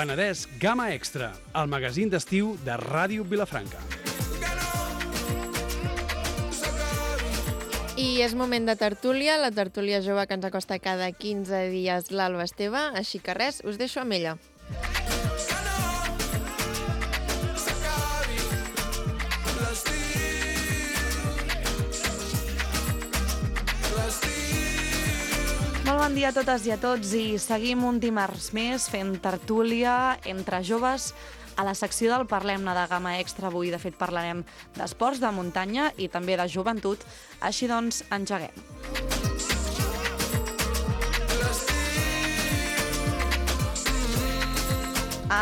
Penedès Gamma Extra, el magazín d'estiu de Ràdio Vilafranca. I és moment de tertúlia, la tertúlia jove que ens acosta cada 15 dies l'Alba Esteve, així que res, us deixo amb ella. Molt bon dia a totes i a tots i seguim un dimarts més fent tertúlia entre joves a la secció del Parlem-ne de Gamma Extra. Avui, de fet, parlarem d'esports de muntanya i també de joventut. Així doncs, engeguem.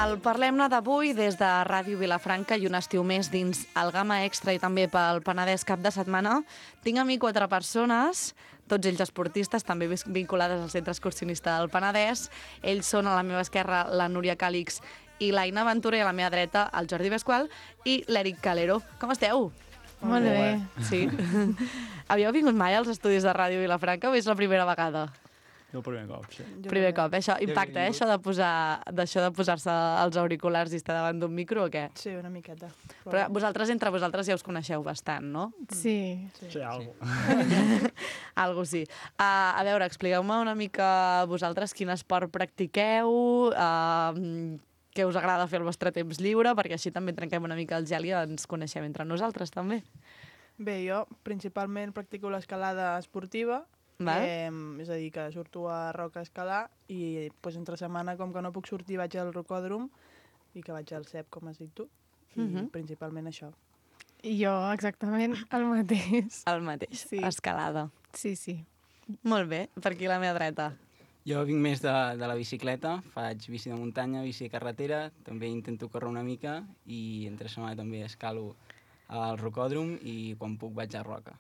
El Parlem-ne d'avui des de Ràdio Vilafranca i un estiu més dins el Gamma Extra i també pel Penedès cap de setmana. Tinc a mi 4 persones, tots ells esportistes, també vinculades al Centre Excursionista del Penedès. Ells són a la meva esquerra la Núria Càlix i l'Aina Ventura i a la meva dreta el Jordi Pasqual i l'Eric Calero. Com esteu? Molt bé. Sí. Havíeu vingut mai als estudis de Ràdio Vilafranca o és la primera vegada? El primer cop, sí. Primer cop, això impacta, això de posar-se els auriculars i estar davant d'un micro o què? Sí, una miqueta. Però vosaltres, entre vosaltres, ja us coneixeu bastant, no? Sí. Sí, algo. Algo sí. A veure, expliqueu-me una mica vosaltres quin esport practiqueu, què us agrada fer al vostre temps lliure, perquè així també trenquem una mica el gel i ens coneixem entre nosaltres, també. Bé, jo principalment practico l'escalada esportiva, és a dir, que surto a Roca a escalar i doncs, entre setmana, com que no puc sortir, vaig al rocòdrom i que vaig al CEP, com has dit tu, i principalment això. I jo exactament el mateix. El mateix, Sí. escalada. Sí, sí. Molt bé, per aquí a la meva dreta. Jo vinc més de la bicicleta, faig bici de muntanya, bici de carretera, també intento córrer una mica i entre setmana també escalo al rocòdrom i quan puc vaig a Roca.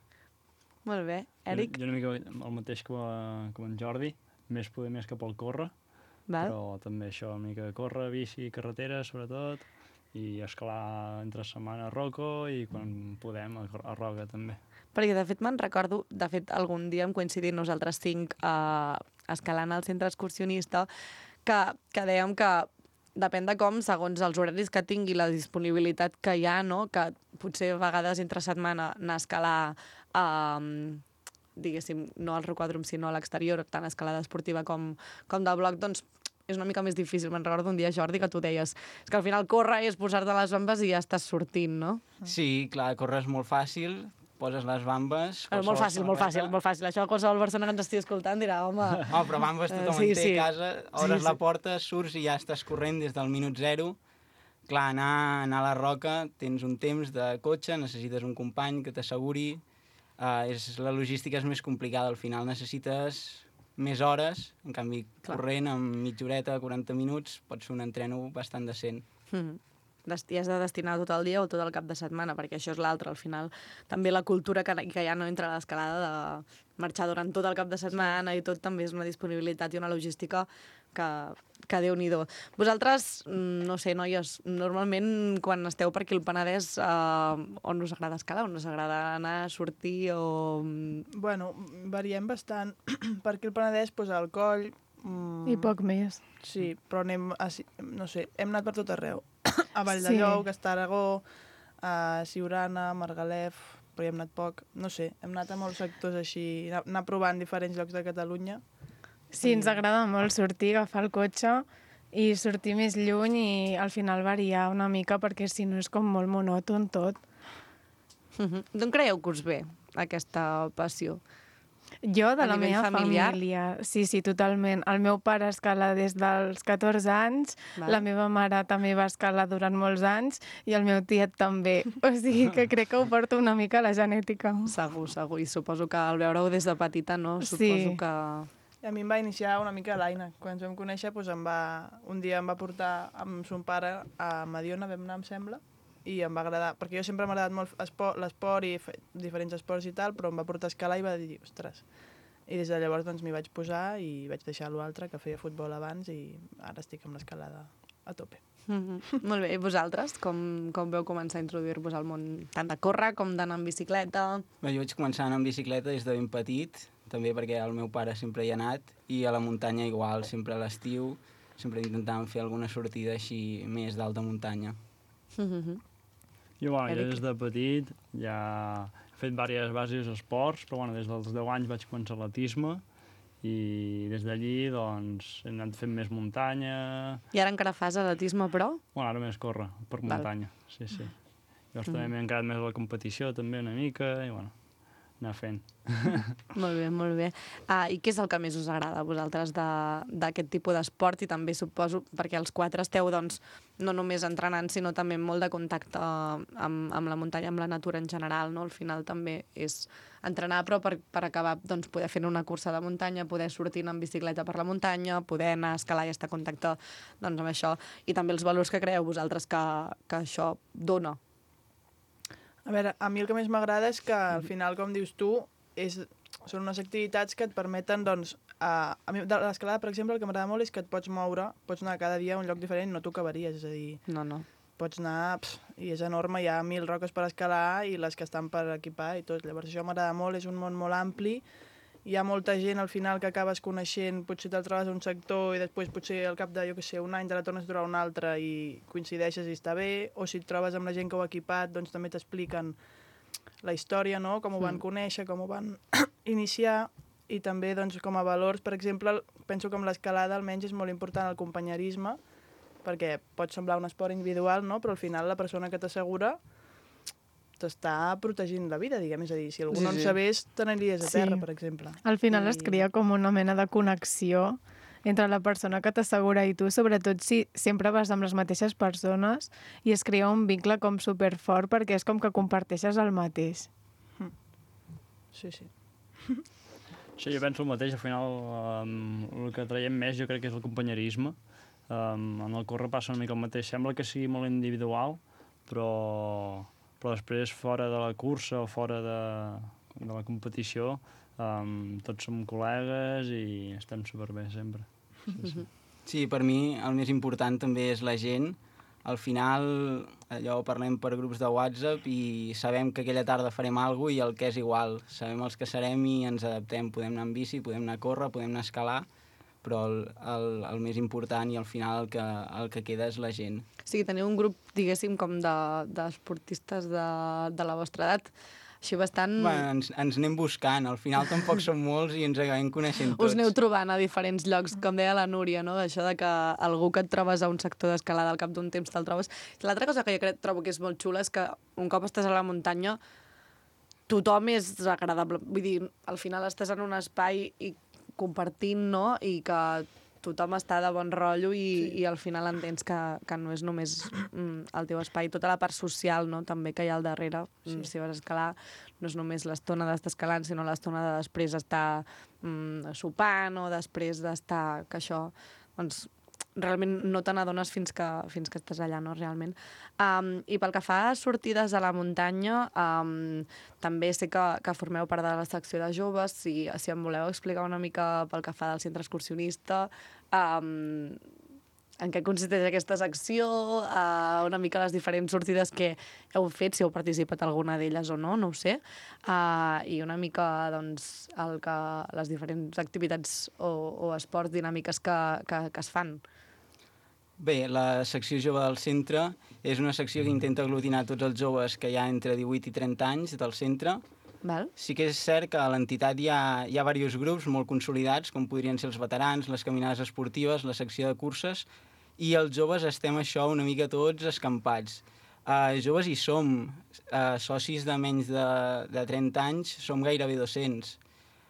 Molt bé. Eric? Jo una mica el mateix com en Jordi, més poder més cap al córrer, Val? però també això, una mica de córrer, bici, carretera, sobretot, i escalar entre setmana a Roco i quan podem a Roca també. Perquè, de fet, me'n recordo, de fet, algun dia hem coincidit nosaltres 5 escalant al centre excursionista, que dèiem que depèn de com, segons els horaris que tingui, la disponibilitat que hi ha, no? Que potser a vegades entre setmana anar a escalar, diguéssim, no al rocòdrom, sinó a l'exterior, tant escalada esportiva com de bloc, doncs és una mica més difícil. Me'n recordo un dia, Jordi, que tu deies és que al final córrer és posar-te les bambes i ja estàs sortint, no? Sí, clar, córrer és molt fàcil, poses les bambes... Molt fàcil, molt fàcil, molt fàcil. Això qualsevol persona que ens estigui escoltant dirà, home... Oh, però bambes tothom Sí, en té sí. a casa, obres Sí, la sí. porta, surts i ja estàs corrent des del minut 0. Clar, anar a la Roca, tens un temps de cotxe, necessites un company que t'asseguri, la logística és més complicada, al final necessites més hores, en canvi corrent amb mitja horeta, 40 minuts, pots fer un entreno bastant decent. I has de destinar tot el dia o tot el cap de setmana, perquè això és l'altre, al final. També la cultura que hi ha no entre l'escalada de marxar durant tot el cap de setmana i tot també és una disponibilitat i una logística que Déu-n'hi-do. Vosaltres, no sé, noies, normalment quan esteu per aquí al Penedès, on us agrada escalar, on us agrada anar a sortir o... Bueno, variem bastant. Per aquí al Penedès, doncs, al Coll... I poc més. Sí, però anem, no sé, hem anat per tot arreu. A Valldellou, a Aragó, a Siurana, a Margalef, però hi hem anat poc. No sé, hem anat a molts sectors així, anar provant diferents llocs de Catalunya. Sí, ens agrada molt sortir, agafar el cotxe i sortir més lluny i al final variar una mica perquè si no és com molt monòton tot. D'on creieu que us ve aquesta passió? Jo, de A la nivell meva familiar? família, sí, totalment. El meu pare escala des dels 14 anys, Val. la meva mare també va escalar durant molts anys i el meu tiet també. O sigui que crec que ho porto una mica a la genètica. Segur, segur. I suposo que al veure-ho des de petita, no? Sí. Suposo que... I a mi em va iniciar una mica l'Aina. Quan ens vam conèixer, doncs un dia em va portar amb son pare a Mediona, vam anar, em sembla, i em va agradar, perquè jo sempre m'ha agradat molt l'esport i diferents esports i tal, però em va portar a escalar i va dir, ostres. I des de llavors doncs m'hi vaig posar i vaig deixar l'altre, que feia futbol abans, i ara estic amb l'escalada a tope. Molt bé, i vosaltres, com veu començar a introduir-vos al món tant de córrer com d'anar en bicicleta? Bé, jo vaig començar a anar en bicicleta des de ben petit, també perquè el meu pare sempre hi ha anat, i a la muntanya igual, sempre a l'estiu. sempre intentàvem fer alguna sortida així més d'alta muntanya. Jo, bueno, jo des de petit ja he fet diversos esports, però bueno, des dels 10 anys vaig començar atletisme i des d'allí doncs, he anat fent més muntanya. I ara encara fas atletisme, però? Bueno, ara més córrer per muntanya, sí. Llavors també m'he encarat més a la competició també una mica i bueno, anar fent. Molt bé. I què és el que més us agrada a vosaltres d'aquest tipus d'esport? I també suposo, perquè els 4 esteu doncs, no només entrenant, sinó també molt de contacte amb la muntanya, amb la natura en general, no? Al final també és entrenar, però per acabar doncs, poder fer una cursa de muntanya, poder sortir en bicicleta per la muntanya, poder anar a escalar i estar en contacte doncs, amb això. I també els valors que creeu vosaltres que això dona. A veure, a mi el que més m'agrada és que al final, com dius tu, són unes activitats que et permeten, doncs, a mi de l'escalada, per exemple, el que m'agrada molt és que et pots moure, pots anar cada dia a un lloc diferent, no t'ho acabaries, és a dir... No. Pots anar, i és enorme, hi ha 1000 roques per escalar i les que estan per equipar i tot. Llavors això m'agrada molt, és un món molt ampli, hi ha molta gent al final que acabes coneixent, potser te'l trobes a un sector i després potser al cap de, jo què sé, un any te la tornes a trobar un altre i coincideixes i està bé, o si et trobes amb la gent que ho ha equipat, doncs també t'expliquen la història, no? Com ho van conèixer, com ho van iniciar, i també doncs, com a valors, per exemple, penso que amb l'escalada almenys és molt important el companyerisme, perquè pot semblar un esport individual, no? Però al final la persona que t'assegura t'està protegint la vida, diguem. És a dir, si algú no en sabés, te n'aniries a terra, per exemple. Al final es crea com una mena de connexió entre la persona que t'assegura i tu, sobretot si sempre vas amb les mateixes persones i es crea un vincle com superfort perquè és com que comparteixes el mateix. Sí. Sí, jo penso el mateix, al final el que traiem més jo crec que és el companyerisme. En el córrer passa una mica el mateix, sembla que sigui molt individual, però després fora de la cursa o fora de la competició tots som col·legues i estem superbé sempre. Sí, per mi el més important també és la gent. Al final allò parlem per grups de WhatsApp i sabem que aquella tarda farem alguna cosa i el que és igual. Sabem els que serem i ens adaptem. Podem anar en bici, podem anar a córrer, podem anar a escalar, però el més important i al final el que queda és la gent. O sigui, teniu un grup, diguéssim, com d'esportistes de la vostra edat, així bastant... Bueno, ens anem buscant, al final tampoc som molts i ens acabem coneixent tots. Us aneu trobant a diferents llocs, com deia la Núria, no? Això de que algú que et trobes a un sector d'escalada al cap d'un temps te'l trobes. L'altra cosa que jo trobo que és molt xula és que un cop estàs a la muntanya tothom és agradable. Vull dir, al final estàs en un espai i compartint, no? I que tothom està de bon rotllo i al final entens que no és només el teu espai, tota la part social, no? També que hi ha al darrere. Si vas a escalar, no és només l'estona d'estar escalant, sinó l'estona de després estar sopant o després d'estar... que això, doncs, realment no te n'adones fins que estàs allà, no? Realment. I pel que fa a sortides a la muntanya, també sé que formeu part de la secció de joves. Si em voleu explicar una mica pel que fa del centre excursionista, en què consisteix aquesta secció, una mica les diferents sortides que heu fet, si heu participat alguna d'elles o no, no ho sé, i una mica doncs, les diferents activitats o esports dinàmiques que es fan. Bé, la secció jove del centre és una secció que intenta aglutinar tots els joves que hi ha entre 18 i 30 anys del centre. Val. Sí que és cert que a l'entitat hi ha diversos grups molt consolidats, com podrien ser els veterans, les caminades esportives, la secció de curses, i els joves estem això una mica tots escampats. Joves hi som, socis de menys de 30 anys, som gairebé 200.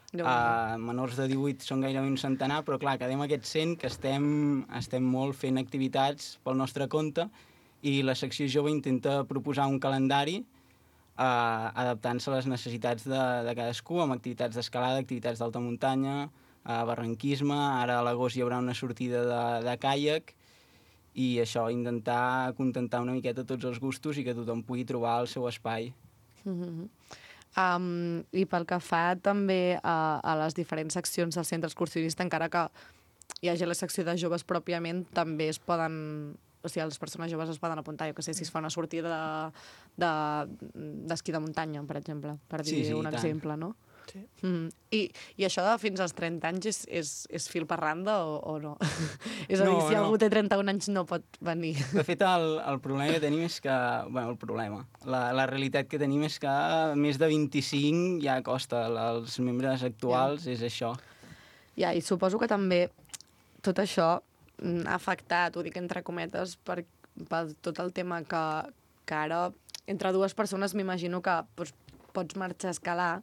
Menors de 18 són gairebé un centenar, però clar, quedem aquests 100 que estem molt fent activitats pel nostre compte i la secció jove intenta proposar un calendari adaptant-se a les necessitats de cadascú, amb activitats d'escalada, activitats d'alta muntanya, barranquisme, ara a l'agost hi haurà una sortida de caiac i això, intentar acontentar una miqueta tots els gustos i que tothom pugui trobar el seu espai. I pel que fa també a les diferents seccions del centre excursionista, encara que hi hagi la secció de joves pròpiament, també es poden... O sigui, les persones joves es poden apuntar, jo que sé, si es fa una sortida d'esquí de muntanya, per exemple, per dir un exemple, no? Sí. I això de fins als 30 anys és fil per randa o no? És a dir, No, si no. algú té 31 anys no pot venir. De fet, el problema que tenim és que... Bueno, el problema. La realitat que tenim és que més de 25 ja costa. Els membres actuals és això. Ja, i suposo que també tot això ha afectat, ho dic entre cometes, per tot el tema que ara entre dues persones m'imagino que doncs, pots marxar a escalar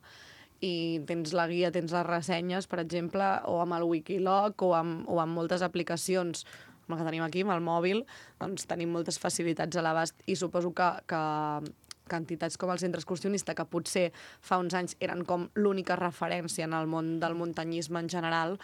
i tens la guia, tens les ressenyes, per exemple, o amb el Wikiloc o amb moltes aplicacions, amb el que tenim aquí, amb el mòbil, doncs tenim moltes facilitats a l'abast i suposo que entitats com el Centre Excursionista, que potser fa uns anys eren com l'única referència en el món del muntanyisme en general,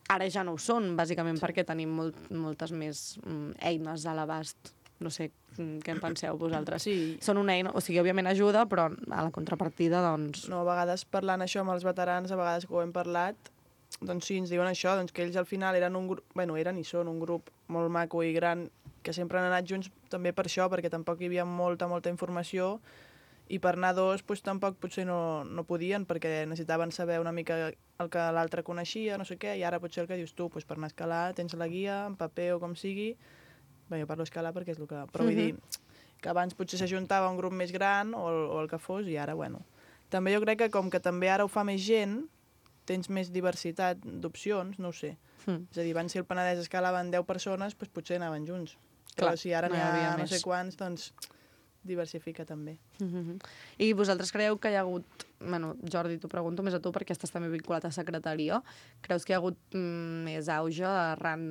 ara ja no ho són, bàsicament perquè tenim moltes més eines a l'abast. No sé què en penseu vosaltres. Sí. Són una eina, o sigui, òbviament ajuda, però a la contrapartida, doncs... No, a vegades parlant això amb els veterans, a vegades que ho hem parlat, doncs sí, ens diuen això, doncs que ells al final eren un grup, bueno, eren i són un grup molt maco i gran, que sempre han anat junts també per això, perquè tampoc hi havia molta informació, i per anar dos doncs, tampoc potser no podien, perquè necessitaven saber una mica el que l'altre coneixia, no sé què, i ara potser el que dius tu, doncs per anar a escalar tens la guia, en paper o com sigui. Bé, jo parlo escalar perquè és el que... Però vull dir que abans potser s'ajuntava un grup més gran o el que fos, i ara, bueno. També jo crec que com que també ara ho fa més gent, tens més diversitat d'opcions, no ho sé. És a dir, abans si el Penedès escalaven 10 persones, doncs potser anaven junts. Clar, Però si ara no n'hi hi havia ha no més. sé quants, doncs diversifica també. I vosaltres creieu que hi ha hagut... Bueno, Jordi, t'ho pregunto més a tu perquè estàs també vinculat a secretaria. Creus que hi ha hagut més auge arran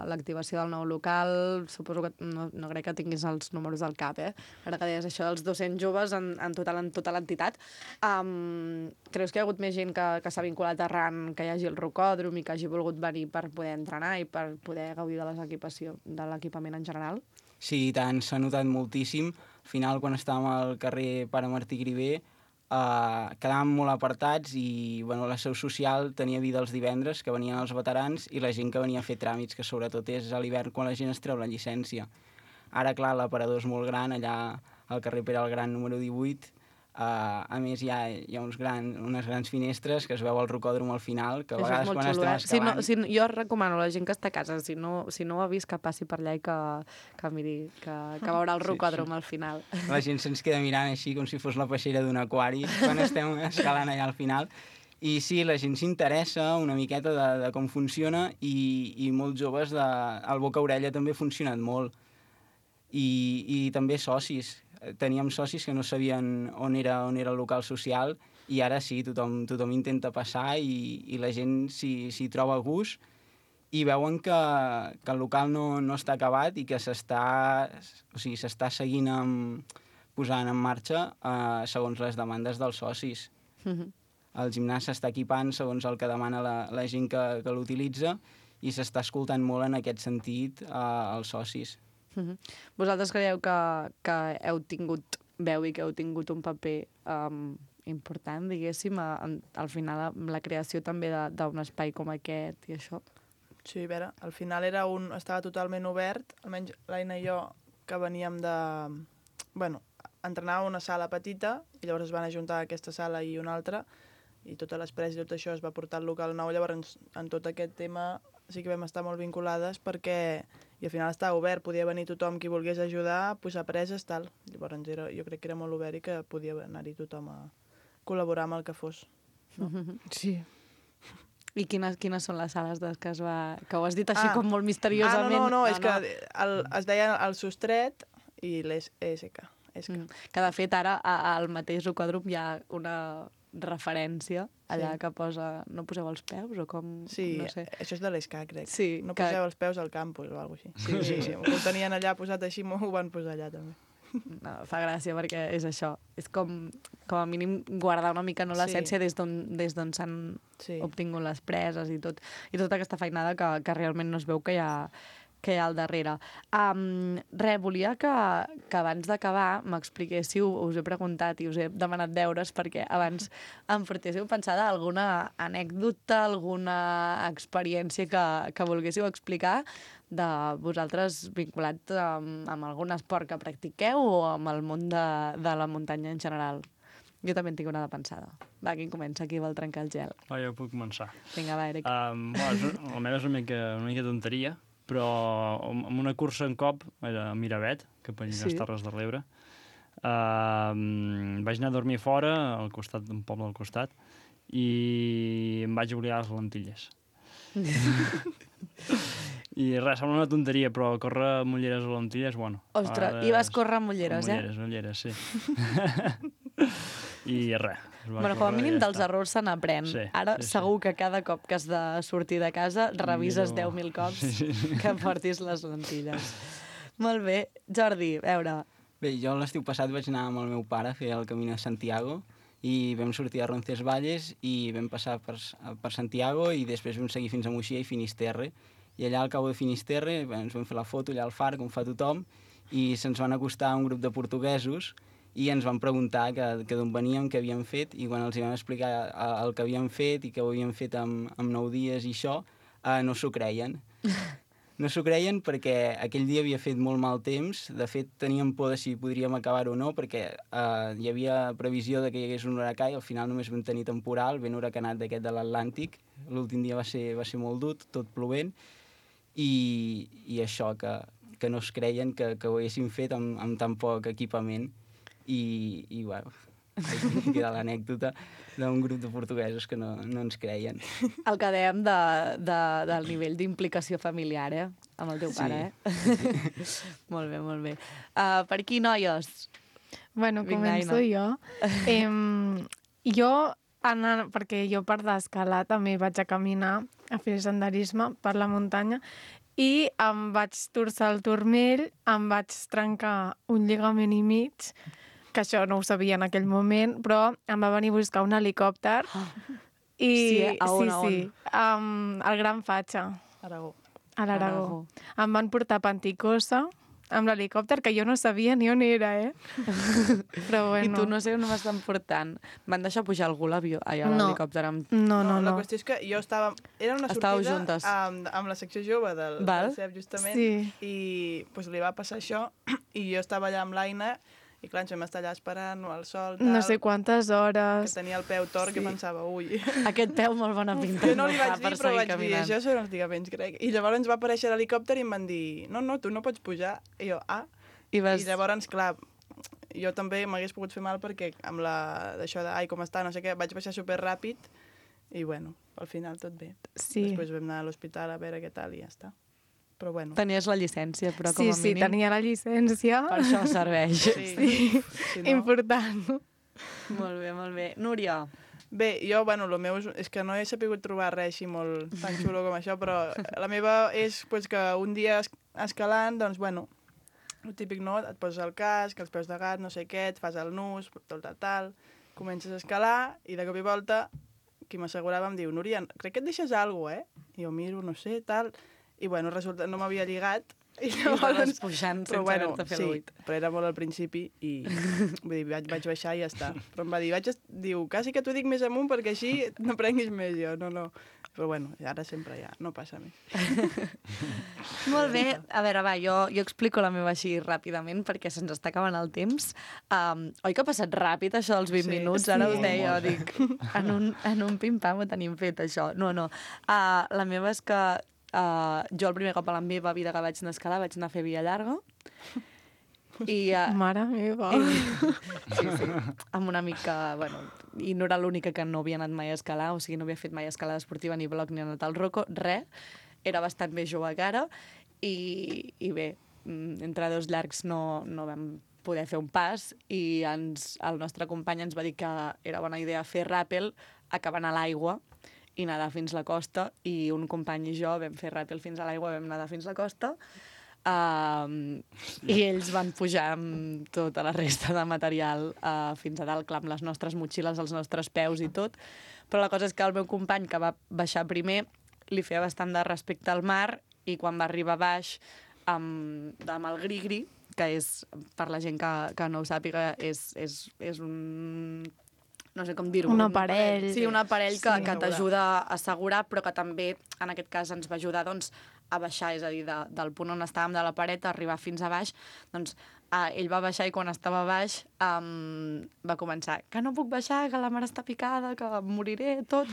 l'activació del nou local? Suposo que no crec que tinguis els números al cap, Ara que deies això dels 200 joves en tota l'entitat. Creus que hi ha hagut més gent que s'ha vinculat arran que hi hagi el rocòdrom i que hagi volgut venir per poder entrenar i per poder gaudir de l'equipament en general? Sí, i tant, s'ha notat moltíssim. Al final, quan estàvem al carrer Pare Martí Griver, quedàvem molt apartats i bueno, la seu social tenia vida els divendres, que venien els veterans, i la gent que venia a fer tràmits, que sobretot és a l'hivern quan la gent es treu la llicència. Ara, clar, l'aparador és molt gran, allà al carrer Pere el Gran número 18, a més hi ha unes grans finestres que es veu el rocòdrom al final, que a vegades quan estem escalant... Jo recomano a la gent que està a casa, si no ho ha vist, que passi per allà i que miri, que veurà el rocòdrom al final. La gent se'ns queda mirant així com si fos la peixera d'un aquari quan estem escalant allà al final. I sí, la gent s'interessa una miqueta de com funciona i molts joves, el boca-orella també ha funcionat molt. I també socis. Teníem socis que no sabien on era el local social i ara sí, tothom intenta passar i la gent s'hi troba a gust i veuen que el local no està acabat i que s'està seguint posant en marxa segons les demandes dels socis. El gimnàs s'està equipant segons el que demana la gent que l'utilitza i s'està escoltant molt en aquest sentit els socis. Vosaltres creieu que heu tingut veu i que heu tingut un paper important, diguéssim, al final la creació també d'un espai com aquest i això? Sí, a veure, al final estava totalment obert, almenys l'Aina i jo, que veníem entrenàvem a una sala petita i llavors es van ajuntar aquesta sala i una altra i totes les preses i tot això es va portar al local nou, llavors en tot aquest tema sí que vam estar molt vinculades perquè i al final estava obert, podia venir tothom qui volgués ajudar, posar preses, tal. Llavors jo crec que era molt obert i que podia anar-hi tothom a col·laborar amb el que fos. No? Sí. I quines són les sales que ho has dit així com molt misteriosament? No, és que es deia el Sostret i l'ESK. Que de fet ara al mateix rocòdrom hi ha una referència allà que posa... No poseu els peus o com... Sí, no sé. això és de l'ESCA, crec. Sí, no poseu els peus al campus o alguna cosa així. Sí. Ho tenien allà posat així, ho van posar allà també. No, fa gràcia perquè és això. És com a mínim guardar una mica l'essència des d'on s'han obtingut les preses i tota aquesta feinada que realment no es veu que hi ha al darrere. Volia que abans d'acabar m'expliquéssiu, us he preguntat i us he demanat deures perquè abans em portéssiu pensada alguna anècdota, alguna experiència que volguéssiu explicar de vosaltres vinculat amb algun esport que practiqueu o amb el món de la muntanya en general. Jo també en tinc una de pensada. Va, qui comença? Qui vol trencar el gel? Va, jo puc començar. Vinga, va, Eric. La meva és una mica tonteria, però amb una cursa en cop, a Miravet, cap allà a les Terres de l'Ebre, vaig anar a dormir fora, al costat d'un poble al costat, i em vaig oblidar les lentilles. I res, sembla una tonteria, però córrer amb ulleres o lentilles, bueno. Ostres, i vas córrer amb ulleres, amb ulleres, sí. I res. Bueno, com a mínim dels errors se n'aprèn. Sí, Ara segur que cada cop que has de sortir de casa revises 10.000 cops que portis les lentilles. Molt bé. Jordi, a veure... Bé, jo l'estiu passat vaig anar amb el meu pare a fer el Camí de Santiago i vam sortir a Roncesvalles i vam passar per Santiago i després vam seguir fins a Moixia i Finisterre. I allà al cabo de Finisterre ens vam fer la foto allà al far, com fa tothom, i se'ns van acostar un grup de portuguesos i ens van preguntar que d'on veníem, què havíem fet, i quan els vam explicar el que havíem fet i que ho havíem fet amb 9 dies i això, no s'ho creien. No s'ho creien perquè aquell dia havia fet molt mal temps. De fet, teníem por de si podríem acabar o no, perquè hi havia previsió de que hi hagués un huracà i al final només vam tenir temporal, ben huracanat d'aquest de l'Atlàntic. L'últim dia va ser molt dur, tot plovent, i això, que no es creien que ho haguéssim fet amb tan poc equipament. I bueno, aquí queda l'anècdota d'un grup de portuguesos que no ens creien. El que dèiem del nivell d'implicació familiar, amb el teu pare, Molt bé, molt bé. Per aquí, noies? Bueno, Vinga, començo jo. Perquè jo per d'escalar també vaig a caminar, a fer senderisme per la muntanya, i em vaig torçar el turmell, em vaig trencar un lligament i mig, que això no ho sabia en aquell moment, però em va venir a buscar un helicòpter. Sí, a on? Al Gran Fatxa, Aragó. a l'Aragó. Em van portar a Panticosa amb l'helicòpter, que jo no sabia ni on era, Però bueno. I tu no sé on m'estan portant. Van deixar pujar algú a l'helicòpter amb... No. La qüestió és que jo estava... Era una Estàveu sortida juntes. amb la secció jove del CEP, justament, Sí. i pues, li va passar això, i jo estava allà amb l'Aina, i clar, ens vam estar allà esperant al sol, tal, No sé quantes que hores. tenia el peu tort, que pensava, ui... Aquest peu molt bona pinta. Jo no li vaig fa per dir, però seguir vaig dir, caminant. això són els lligaments, crec. I llavors ens va aparèixer l'helicòpter i em van dir, no, tu no pots pujar. I jo, I vas... I llavors, clar, jo també m'hagués pogut fer mal perquè amb d'això de, com està, no sé què, vaig baixar superràpid i, bueno, al final tot bé. Sí. Després vam anar a l'hospital a veure què tal i ja està. Però, bueno. Tenies la llicència, però com a mínim... Sí, tenia la llicència. Per això serveix. Sí. Si no... Important. Molt bé, molt bé. Núria. Bé, jo, bueno, el meu és que no he sapigut trobar res així molt tan xulo com això, però la meva és pues, que un dia escalant, doncs, bueno, el típic, no? Et poses el casc, els peus de gat, no sé què, et fas el nus, tal, comences a escalar i de cop i volta qui m'assegurava em diu, Núria, crec que et deixes alguna cosa, I jo miro, no sé, tal, i bueno, resulta no m'havia lligat I estaves pujant sense haver-te fet l'uit. Però era molt al principi i vull dir, vaig baixar i ja està. Però em va dir, diu, quasi que t'ho dic més amunt perquè així no prenguis més. Jo, no. Però bueno, ara sempre ja no passa més. Molt bé. A veure, va, jo explico la meva així ràpidament perquè se'ns està acabant el temps. Oi que ha passat ràpid això dels 20 minuts? Ara us deia, dic, en un pim-pam ho tenim fet, això. No. La meva és que jo el primer cop a la meva vida que vaig anar a escalar vaig anar a fer via llarga i, Mare meva. sí, amb una amic que, bueno, i no era l'única que no havia anat mai a escalar, o sigui, no havia fet mai escalada esportiva ni bloc ni anat al roco, res, era bastant més jove que ara i bé, entre dos llargs no vam poder fer un pas i el nostre company ens va dir que era bona idea fer ràpel acabant a l'aigua i nedar fins a la costa, i un company i jo vam fer ràpel fins a l'aigua, vam nedar fins a la costa, i ells van pujar amb tota la resta de material fins a dalt, clar, amb les nostres motxilles, els nostres peus i tot, però la cosa és que el meu company, que va baixar primer, li feia bastant de respecte al mar, i quan va arribar baix amb el gri-gri, que és, per la gent que no ho sàpiga, és un... no sé com dir-ho. Un aparell. Sí, un aparell que Sí. t'ajuda a assegurar, però que també, en aquest cas, ens va ajudar doncs, a baixar, és a dir, del punt on estàvem de la paret, a arribar fins a baix, doncs, ell va baixar i quan estava baix va començar que no puc baixar, que la mar està picada, que em moriré, tot.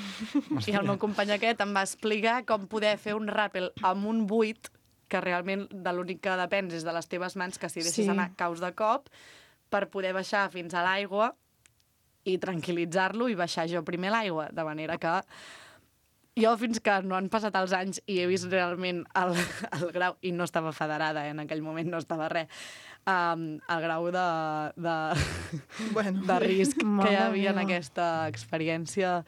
I el meu company aquest em va explicar com poder fer un ràpel amb un buit, que realment de l'únic que depens és de les teves mans, que si deixes anar caus de cop, per poder baixar fins a l'aigua i tranquil·litzar-lo i baixar jo primer l'aigua, de manera que jo fins que no han passat els anys i he vist realment el grau, i no estava federada, en aquell moment no estava res, el grau de risc que hi havia en aquesta experiència,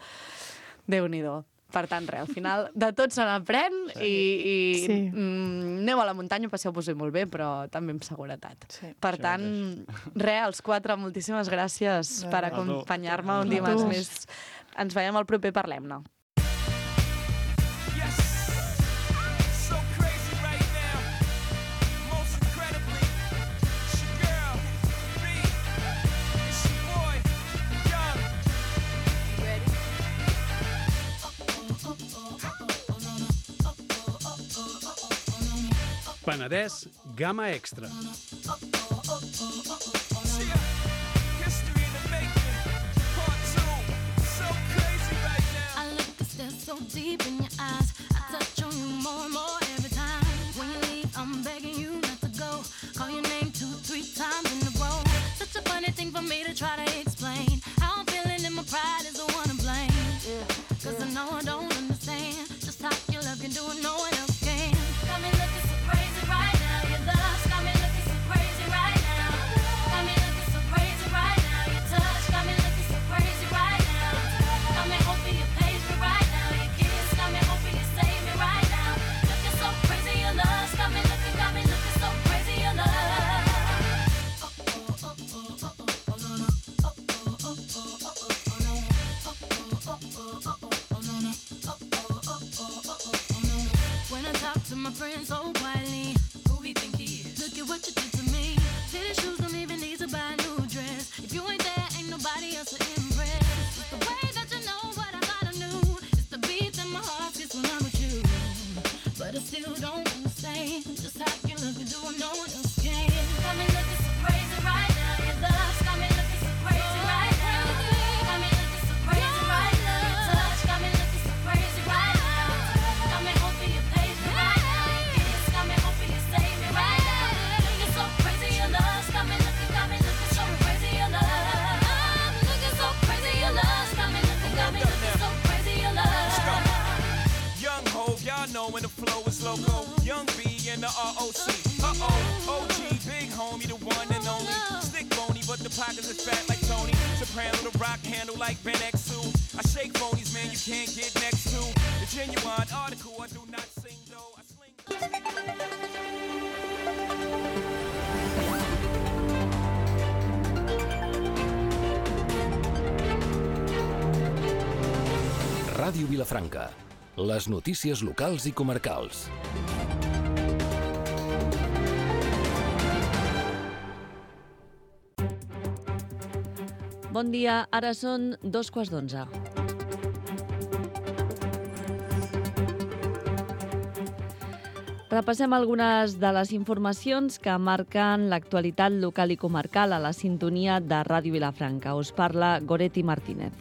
Déu-n'hi-do. Per tant, res, al final de tot se n'aprèn i aneu a la muntanya, passeu-vos-hi molt bé, però també amb seguretat. Per tant, res, els 4, moltíssimes gràcies per acompanyar-me un dimarts més. Ens veiem al proper Parlem-ne. Penedès Gamma Extra. So deep in your eyes, I touch on you more and more every time. When you leave, I'm begging you not to go. Call your name 2-3 times in a row. Such a funny thing for me to try to explain. How I'm feeling and my pride is the one to blame. Cause I know I don't understand just how your love can do it, no one else can. Got me looking so crazy right now. Your love's got me looking so crazy right now. Got me looking so crazy right now. Your touch got me looking so crazy right now. Got me hoping you page me right now. Your kiss got me hoping you save me right now. Looking so crazy, your love's got me looking so crazy, your love. When I talk to my friends so quietly, who we think he is? Look at what you did to me. Fitted shoes don't even need to buy a new dress. If you ain't there, ain't nobody else to impress. It's the way that you know what I thought I knew. It's the beat that my heart gets when I'm with you. But I still don't understand just how you look and do what no one else can. Got me looking so crazy right now. Your love's got me looking so crazy right now. Got me looking so crazy right now. Your touch got me looking so crazy right now. Got me hoping you page me right now. Your kiss got me hoping you save me right now. Looking so crazy, your love's got me looking so crazy, your love. I'm looking so crazy, your love's got me looking so crazy, your love. Young Hov, y'all know when the flow is loco. Young B and the ROC. OG, big homie, the one and only. Stick bony, but the pockets are fat like Tony. Soprano, the rock handle like Ben X2. I shake phonies, man, you can't get next to. The genuine article, I do not sing though. I sling. Ràdio Vilafranca. Les notícies locals i comarcals. Bon dia, ara són 2:15. Repassem algunes de les informacions que marquen l'actualitat local i comarcal a la sintonia de Ràdio Vilafranca. Us parla Goretti Martínez.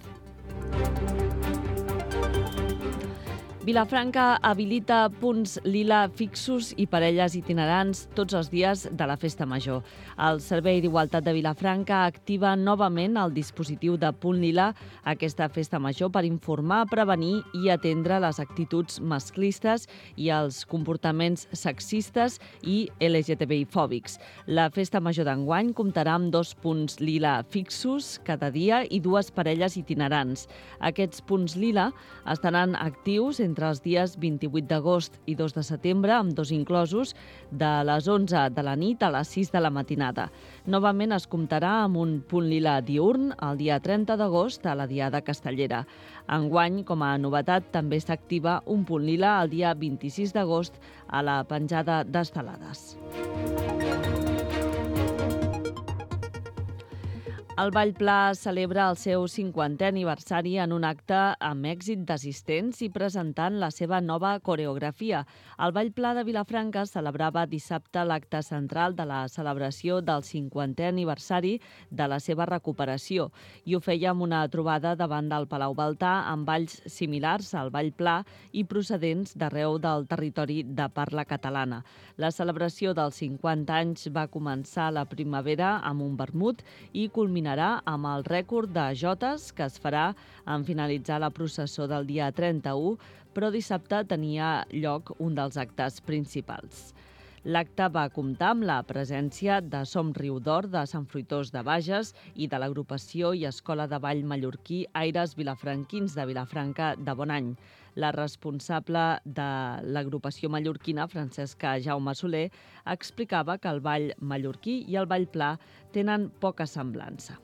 Vilafranca habilita punts lila fixos i parelles itinerants tots els dies de la Festa Major. El Servei d'Igualtat de Vilafranca activa novament el dispositiu de punt lila a aquesta Festa Major per informar, prevenir i atendre les actituds masclistes i els comportaments sexistes i LGTBI-fòbics. La Festa Major d'enguany comptarà amb 2 punts lila fixos cada dia i 2 parelles itinerants. Aquests punts lila estaran actius entre els dies 28 d'agost i 2 de setembre, amb 2 inclosos, de les 11 de la nit a les 6 de la matinada. Novament es comptarà amb un punt lila diürn el dia 30 d'agost a la Diada Castellera. Enguany, com a novetat, també s'activa un punt lila el dia 26 d'agost a la penjada d'estelades. El Ball Pla celebra el seu 50è aniversari en un acte amb èxit d'assistents i presentant la seva nova coreografia. El Ball Pla de Vilafranca celebrava dissabte l'acte central de la celebració del 50è aniversari de la seva recuperació i ho feia amb una trobada davant del Palau Baltà amb balls similars al Ball Pla i procedents d'arreu del territori de parla catalana. La celebració dels 50 anys va començar a la primavera amb un vermut i culminarà amb el rècord de jotes que es farà en finalitzar la processó del dia 31, però dissabte tenia lloc un dels actes principals. L'acte va comptar amb la presència de Som Riu d'Or de Sant Fruitós de Bages i de l'agrupació i escola de ball mallorquí Aires Vilafranquins de Vilafranca de Bonany. La responsable de l'agrupació mallorquina, Francesca Jaume Soler, explicava que el ball mallorquí i el ball pla tenen poca semblança.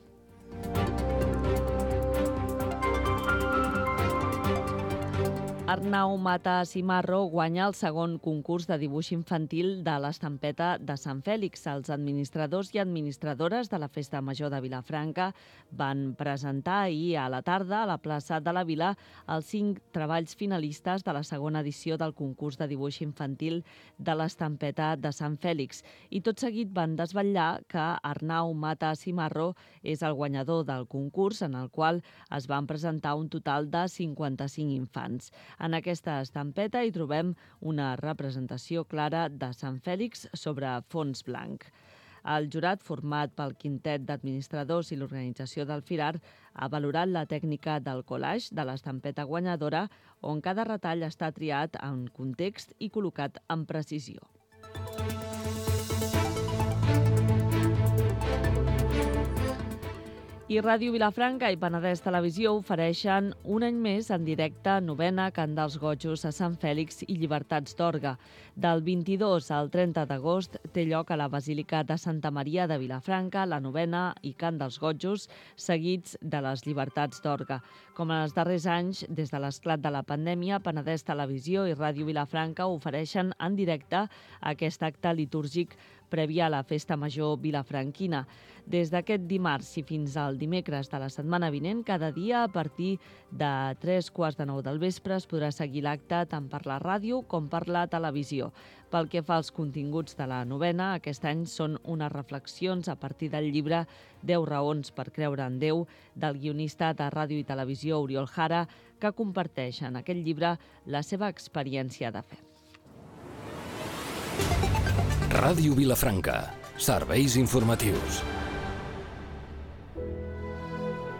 Arnau Mata Cimarro guanya el segon concurs de dibuix infantil de l'Estampeta de Sant Fèlix. Els administradors i administradores de la Festa Major de Vilafranca van presentar ahir a la tarda a la plaça de la Vila els 5 treballs finalistes de la segona edició del concurs de dibuix infantil de l'Estampeta de Sant Fèlix. I tot seguit van desvetllar que Arnau Mata Cimarro és el guanyador del concurs, en el qual es van presentar un total de 55 infants. En aquesta estampeta hi trobem una representació clara de Sant Fèlix sobre fons blanc. El jurat, format pel quintet d'administradors i l'organització del Firar, ha valorat la tècnica del collage de l'estampeta guanyadora, on cada retall està triat en context i col·locat amb precisió. I Ràdio Vilafranca i Penedès Televisió ofereixen un any més en directe novena Cant dels Gojos a Sant Fèlix i Llibertats d'Orga. Del 22 al 30 d'agost té lloc a la Basílica de Santa Maria de Vilafranca la novena i Cant dels Gojos, seguits de les Llibertats d'Orga. Com en els darrers anys, des de l'esclat de la pandèmia, Penedès Televisió i Ràdio Vilafranca ofereixen en directe aquest acte litúrgic prèvia a la Festa Major vilafranquina. Des d'aquest dimarts i fins al dimecres de la setmana vinent, cada dia a partir de 3:15 del vespre es podrà seguir l'acte tant per la ràdio com per la televisió. Pel que fa als continguts de la novena, aquest any són unes reflexions a partir del llibre 10 raons per creure en Déu, del guionista de ràdio i televisió Oriol Jara, que comparteix en aquest llibre la seva experiència de fe. Ràdio Vilafranca. Serveis informatius.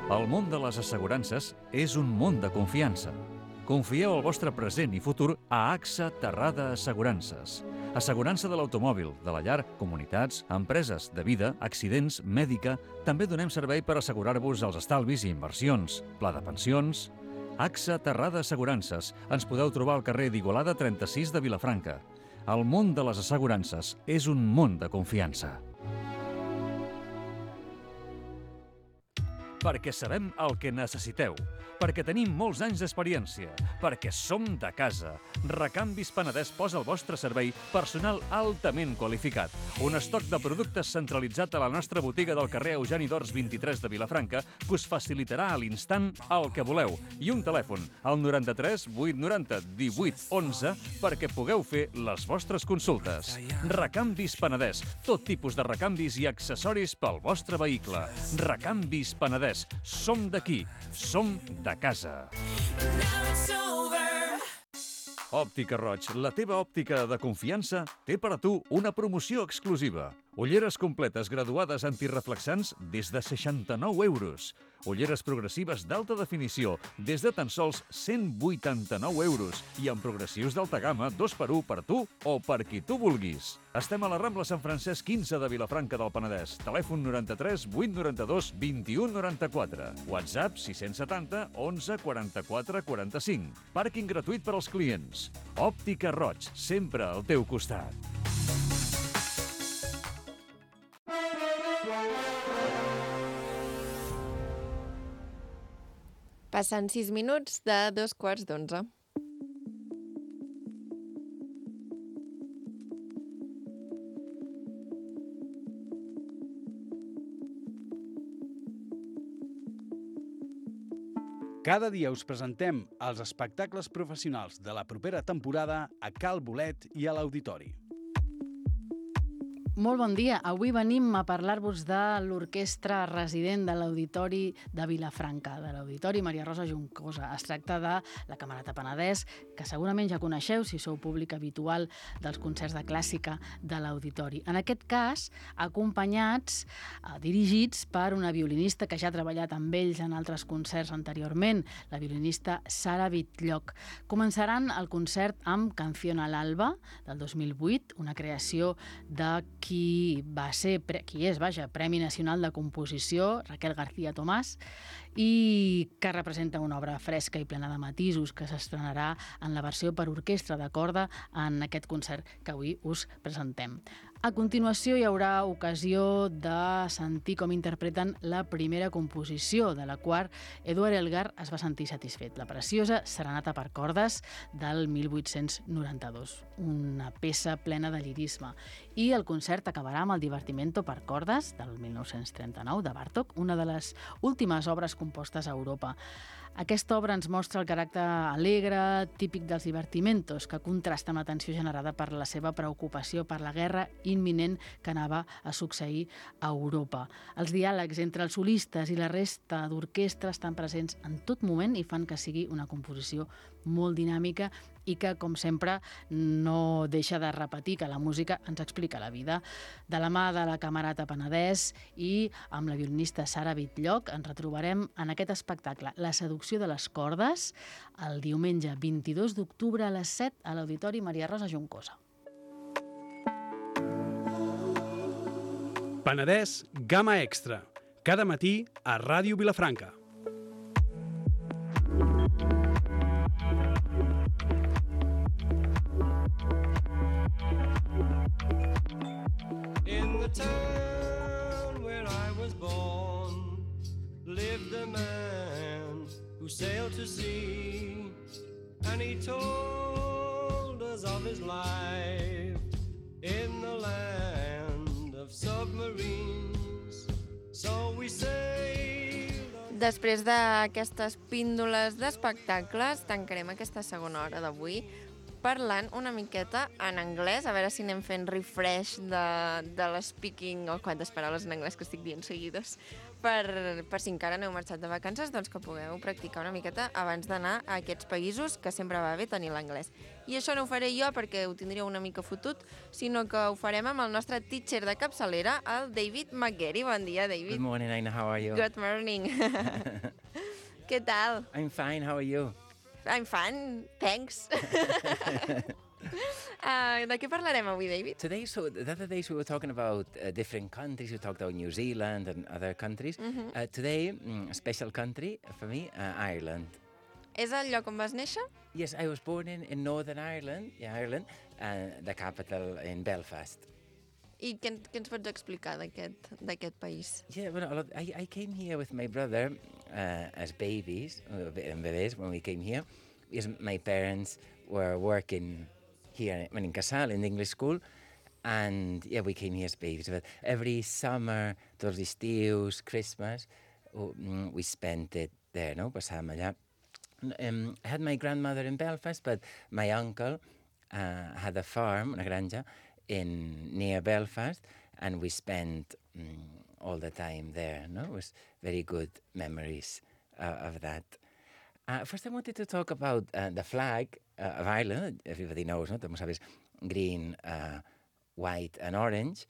El món de les assegurances és un món de confiança. Confieu el vostre present i futur a AXA Terrada Assegurances. Assegurança de l'automòbil, de la llar, comunitats, empreses, de vida, accidents, mèdica. També donem servei per assegurar-vos els estalvis i inversions, pla de pensions. AXA Terrada Assegurances. Ens podeu trobar al carrer d'Igualada 36 de Vilafranca. El món de les assegurances és un món de confiança. Perquè sabem el que necessiteu, perquè tenim molts anys d'experiència, perquè som de casa. Recanvis Penedès posa al vostre servei personal altament qualificat. Un estoc de productes centralitzat a la nostra botiga del carrer Eugeni d'Ors 23 de Vilafranca que us facilitarà a l'instant el que voleu. I un telèfon, al 93 890 18 11, perquè pugueu fer les vostres consultes. Recanvis Penedès, tot tipus de recanvis i accessoris pel vostre vehicle. Recanvis Penedès. Som d'aquí, som de casa. Òptica Roig, la teva òptica de confiança, té per a tu una promoció exclusiva. Ulleres completes graduades antireflexants des de 69 euros. Ulleres progressives d'alta definició des de tan sols 189 euros i amb progressius d'alta gamma 2x1 per tu o per qui tu vulguis. Estem a la Rambla Sant Francesc 15 de Vilafranca del Penedès. Telèfon 93 892 21 94. WhatsApp 670 11 44 45. Pàrquing gratuït per als clients. Òptica Roig, sempre al teu costat. Passen 6 minuts de 2:15. Cada dia us presentem els espectacles professionals de la propera temporada a Cal Bolet i a l'Auditori. Molt bon dia. Avui venim a parlar-vos de l'orquestra resident de l'Auditori de Vilafranca, de l'Auditori Maria Rosa Juncosa. Es tracta de la Camerata Penedès, que segurament ja coneixeu si sou públic habitual dels concerts de clàssica de l'Auditori. En aquest cas, acompanyats, dirigits per una violinista que ja ha treballat amb ells en altres concerts anteriorment, la violinista Sara Bitlloch. Començaran el concert amb Canción al Alba, del 2008, una creació de qui és Premi Nacional de Composició, Raquel García Tomàs, i que representa una obra fresca i plena de matisos que s'estrenarà en la versió per orquestra de corda en aquest concert que avui us presentem. A continuació hi haurà ocasió de sentir com interpreten la primera composició, de la qual Eduard Elgar es va sentir satisfet, la preciosa Serenata per cordes del 1892, una peça plena de lirisme. I el concert acabarà amb el Divertimento per cordes del 1939 de Bartók, una de les últimes obres compostes a Europa. Aquesta obra ens mostra el caràcter alegre, típic dels divertimentos, que contrasta amb la tensió generada per la seva preocupació per la guerra imminent que anava a succeir a Europa. Els diàlegs entre els solistes i la resta d'orquestra estan presents en tot moment i fan que sigui una composició molt dinàmica i que, com sempre, no deixa de repetir que la música ens explica la vida. De la mà de la Camerata Penedès i amb la violinista Sara Bitlloch ens retrobarem en aquest espectacle, La seducció de les cordes, el diumenge 22 d'octubre a les 7 a l'Auditori Maria Rosa Juncosa. Penedès Gamma Extra, cada matí a Ràdio Vilafranca. In the town where I was born lived a man who sailed to sea, and he told us of his life in the land of submarines. So we sailed. Després d'aquestes píndoles d'espectacles, tancarem aquesta segona hora d'avui parlant una miqueta en anglès, a veure si anem fent refresh de l'speaking, o quantes paraules en anglès que estic dient seguides, per si encara no heu marxat de vacances, doncs que pugueu practicar una miqueta abans d'anar a aquests països, que sempre va bé tenir l'anglès. I això no ho faré jo perquè ho tindríeu una mica fotut, sinó que ho farem amb el nostre teacher de capçalera, el David McGarry. Bon dia, David. Good morning, Aina. How are you? Good morning. Què tal? I'm fine. How are you? I'm fine, thanks. De què parlarem avui, David? Today, the other days we were talking about different countries. We talked about New Zealand and other countries. Today, a special country for me, Ireland. És el lloc on vas néixer? Yes, I was born in Northern Ireland, Ireland, the capital in Belfast. I què ens pots explicar d'aquest país? Yeah, well, I came here with my brother as babies, when we came here, because my parents were working here in Casal, in the English school, and yeah, we came here as babies. But every summer, tots els estius, Christmas, we spent it there, no? Passàvem allà. I had my grandmother in Belfast, but my uncle had a farm, una granja, near Belfast, and we spent all the time there. No, it was very good memories of that. First, I wanted to talk about the flag of Ireland. Everybody knows, no? Como sabes, green, white, and orange.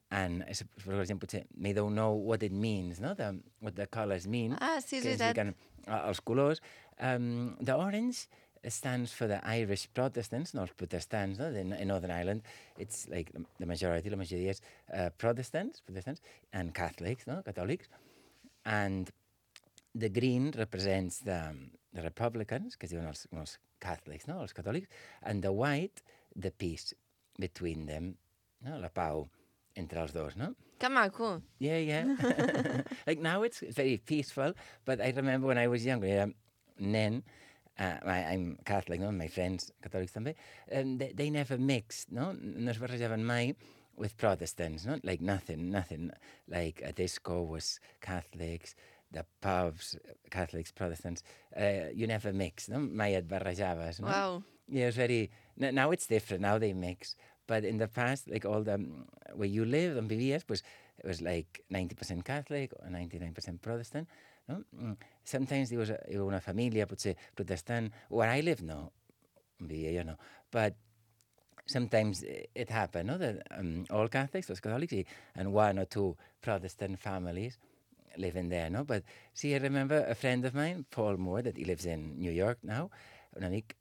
And for example, they don't know what it means, no? What the colors mean. Ah, sí, és veritat. Els colors. The orange stands for the Irish Protestants, no els protestants, no? In Northern Ireland, it's like la majoria és Protestants, and Catholics, no? Catòlics. And the green represents the Republicans, que es diuen els Catholics, no? Els catòlics, and the white, the peace between them, no? La pau entre els dos, no? Que maco. Yeah. Like now it's very peaceful, but I remember when I was younger, era nen, I'm Catholic, no? My friends catòlics també, they never mixed, no? No es barrejaven mai with Protestants, no? Like nothing. Like a disco was Catholics, the pubs, Catholics, Protestants, you never mix, no? Mai et barrejaves, no? Wow. Yeah, it's very... Now it's different, now they mix. But in the past, like all the... Where you live, on vivies, pues, it was like 90% Catholic or 99% Protestant, no? Sometimes there was una família, potser protestant. Where I live, no. On vivia jo no. But sometimes it happened, no? That all Catholics, those Catholics, and one or two Protestant families living there, no? But see, I remember a friend of mine, Paul Moore, that he lives in New York now, un amic,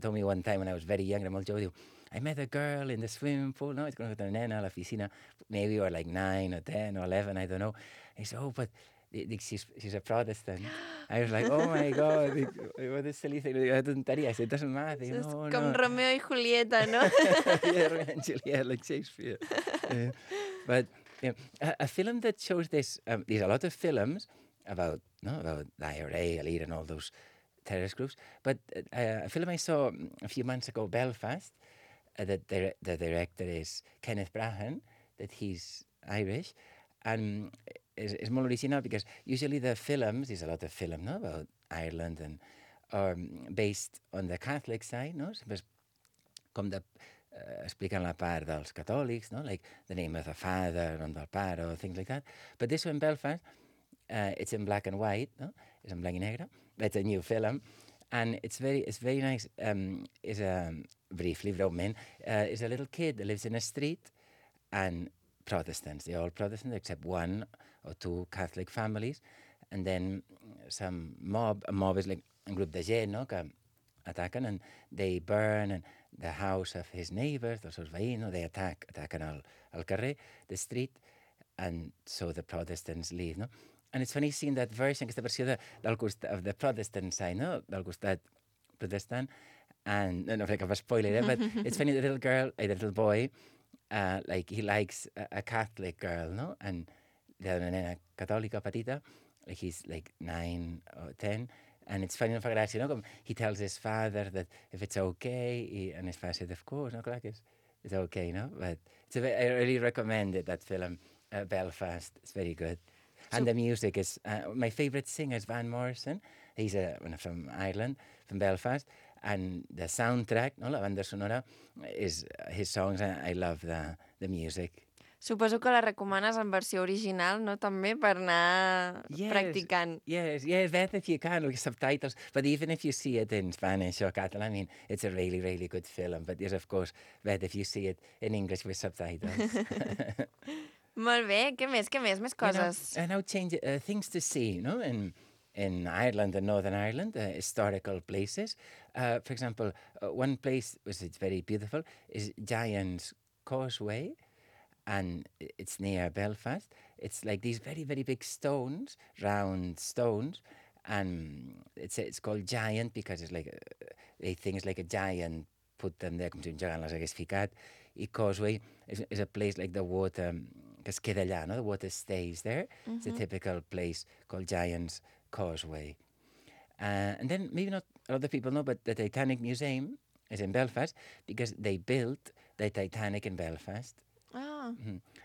told me one time when I was very young, era molt jove, diu, I met a girl in the swimming pool, no? It's going to go to nena a la piscina, maybe we were like 9 or 10 or 11, I don't know. And he said, oh, but she's a Protestant. I was like, oh my God, what a silly thing. I said, it doesn't matter. És No, com no. Romeo i Julieta, no? Yeah, Romeo and Juliet, like Shakespeare. But a film that shows this, there's a lot of films about the IRA, Elite, and all those terrorist groups. But a film I saw a few months ago, Belfast, that the director is Kenneth Branagh, that he's Irish, and is more original because usually the films, there's a lot of film, no, about Ireland and are based on the Catholic side, no? Com de expliquen la part dels catòlics, no? Like the name of the father, nom del pare, or things like that. But this one, Belfast, it's in black and white, no? It's in blanc i negre. It's a new film, and it's very nice. Is briefly, breument, is a little kid that lives in a street, and Protestants. They're all Protestants except one or two Catholic families, and then some mob. A mob is like a group de gent, no? Que ataquen, and they burn the house of his neighbors, dels seus veïns, no? They ataquen al carrer, the street, and so the Protestants leave, no? And it's funny seeing that version, aquesta versió of the Protestant side, no? Del costat protestant, and no faré cap spoiler, but it's funny, the little boy, like he likes a Catholic girl, no? And the nena catòlica petita, like he's like 9 or 10, and it's funny, no fa gràcia, no? Com he tells his father that if it's okay, and his father said, of course, no, clar que it's okay, no? But I really recommend it, that film, Belfast. It's very good. And the music is, my favourite singer is Van Morrison. He's from Ireland, from Belfast. And the soundtrack, no, la banda sonora, is his songs. I love the music. Suposo que la recomanes en versió original, no? També per anar practicant. Yes, better if you can, with subtitles. But even if you see it in Spanish or Catalan, I mean, it's a really, really good film. But yes, of course, better if you see it in English with subtitles. Molt bé, què més? Més coses? And now change things to see, no? In Ireland and Northern Ireland, historical places. For example, one place which is very beautiful is Giant's Causeway, and it's near Belfast. It's like these very, very big stones, round stones, and it's called Giant because it's like they think it's like a giant put them there, com si un gegant les hagués ficat. I Causeway is a place like the water que es queda allà, no? The water stays there. It's a typical place called Giant's Causeway. And then maybe not a lot of people know, but the Titanic Museum is in Belfast because they built the Titanic in Belfast. Oh.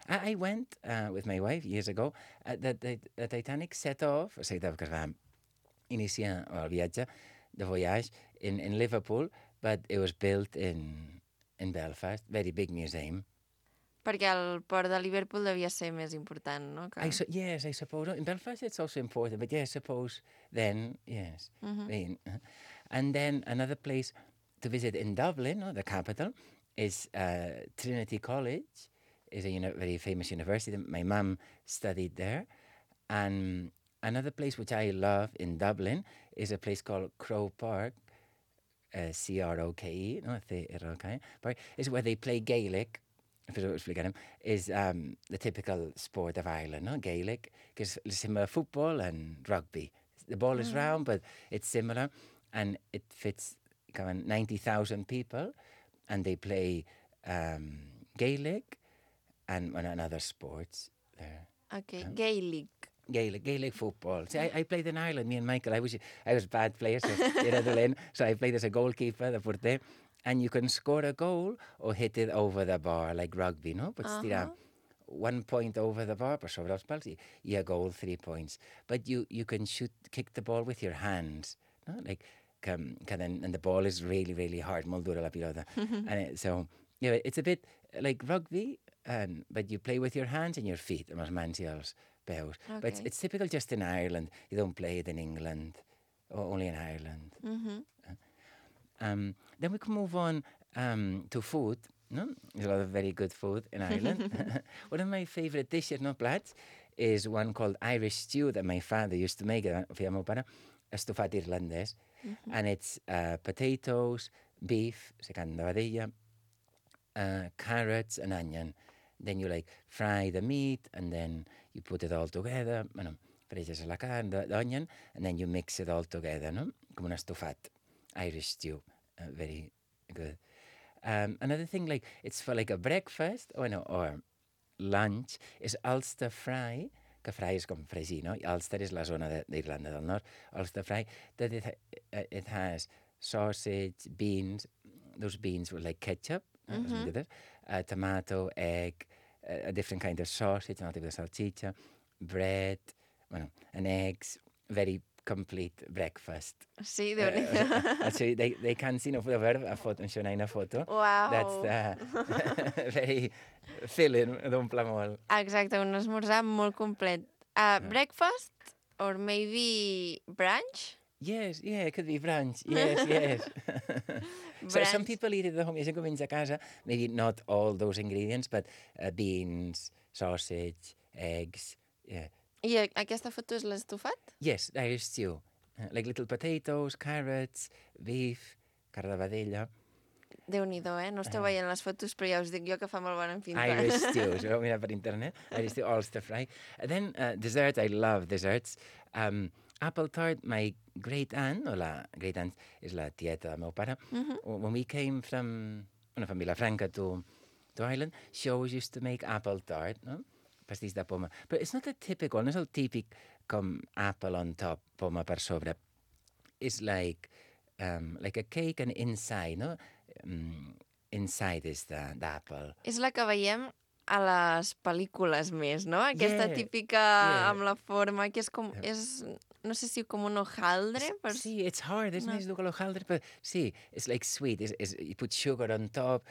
I went with my wife years ago. The Titanic set off, que es va iniciar el viatge de voyage in Liverpool, but it was built in Belfast. Very big museum. Perquè el port de Liverpool devia ser més important, no? Yes, I suppose. In Belfast it's also important, but yes, I suppose then, yes. And then another place to visit in Dublin, the capital, is Trinity College. Is a very famous university. My mum studied there. And another place which I love in Dublin is a place called Croke Park, C-R-O-K-E, no? C-R-O-K-E, Park, is where they play Gaelic. Is the typical sport of Ireland, no? Gaelic, because it's similar football and rugby. The ball is round, but it's similar, and it fits 90,000 people, and they play Gaelic and other sports there. Okay, Gaelic football. See, I played in Ireland, me and Michael. I was a bad player, so I played as a goalkeeper, the porter. And you can score a goal or hit it over the bar like rugby, no? Pots tirar 1 point over the bar, per sobre els pals, i a goal 3 points. But you can kick the ball with your hands, no? Like, and the ball is really, really hard, molt dura la pilota. So, it's a bit like rugby, but you play with your hands and your feet, amb les mans i els peus. Okay. But it's typical just in Ireland. You don't play it in England, or only in Ireland. Then we can move on to food. No? There's a lot of very good food in Ireland. One of my favourite dishes, no plats, is one called Irish stew that my father used to make. Feia meu pare, estofat irlandès. And it's potatoes, beef, secant de vedella, carrots and onion. Then you fry the meat and then you put it all together. Bueno, freges la carn, the onion, and then you mix it all together, no? Com un estofat. Irish stew. Very good. Another thing, it's for a breakfast, or lunch, is Ulster fry, que fry és com fregir, no? Ulster és la zona d'Irlanda del Nord. Ulster fry, that it has sausage, beans, those beans with ketchup, tomato, egg, a different kind of sausage, another type of salchicha, bread, and eggs, very complete breakfast. Sí, Déu-n'hi-do. They can't see, no podeu veure a foto, això una foto. Wow. That's very filling, d'omple molt. Exacte, un esmorzar molt complet. Breakfast or maybe brunch? Yes, it could be brunch. Yes. So some people eat it at home. Hi ha gent que menja a casa, maybe not all those ingredients, but beans, sausage, eggs, yeah. I aquesta foto és l'estofat? Yes, Irish stew. Little potatoes, carrots, beef, carn de vedella. Déu-n'hi-do, No esteu veient les fotos, però ja us dic jo que fa molt bona pinta. Irish stew, us ho vau mirar per internet. Irish stew, Ulster fry. And then dessert, I love desserts. Apple tart, my great aunt, o la great aunt és la tieta del meu pare, when we came from Vilafranca to Ireland, she always used to make apple tart, no? Pastís de poma. But it's not a typical, no és el típic com apple on top, poma per sobre. It's like a cake and inside, no? Inside is the apple. És la que veiem a les pel·lícules més, no? Aquesta típica amb la forma, que és com... no sé si com un hojaldre. Sí, it's hard, és més dur que l'hojaldre, però sí, it's like sweet. You put sugar on top,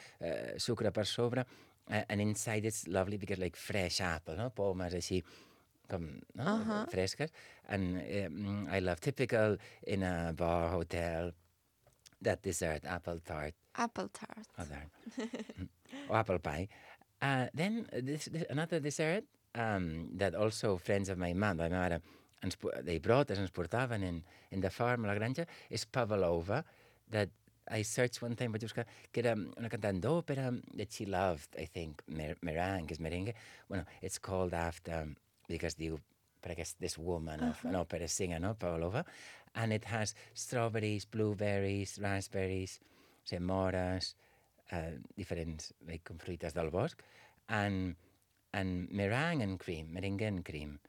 sucre per sobre, and inside it's lovely because fresh apple, no? Pomes així com fresques. And I love typical in a bar, hotel, that dessert, apple tart. Apple tart. Or apple pie. Then another dessert that also friends of my mum, my mare, they brought us, ens portaven in the farm, a la granja, és pavlova, that I searched one time, vaig buscar, que era una cantant d'òpera that she loved, I think, meringue, és merengue. Bueno, it's called after, because diu, per this woman of an opera singer, no? Pavlova. And it has strawberries, blueberries, raspberries, mores, diferents com fruites del bosc, and meringue and cream, merengue and cream,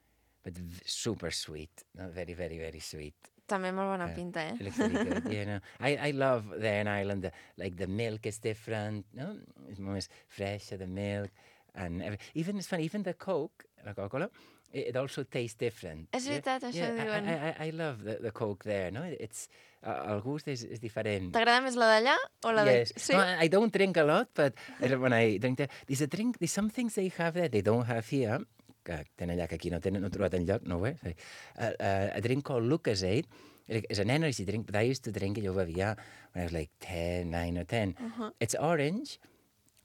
but super sweet, no? Very, very, very sweet. També molt bona pinta, It looks very good, you know. I love there in Ireland, the milk is different, no? It's more fresh, the milk, and even, it's funny, even the Coke, la Coca-Cola, it also tastes different. És veritat, això diuen. I love the Coke there, no? It's, el gust és diferent. T'agrada més la d'allà o la Yes. Sí? No, I don't drink a lot, but when I drink there, there's some things they have there they don't have here, que tenen allà, que aquí no he trobat enlloc, no ho és. A drink called Lucozade. It's an energy drink, but I used to drink it, jo bevia when I was 9 or 10. It's orange,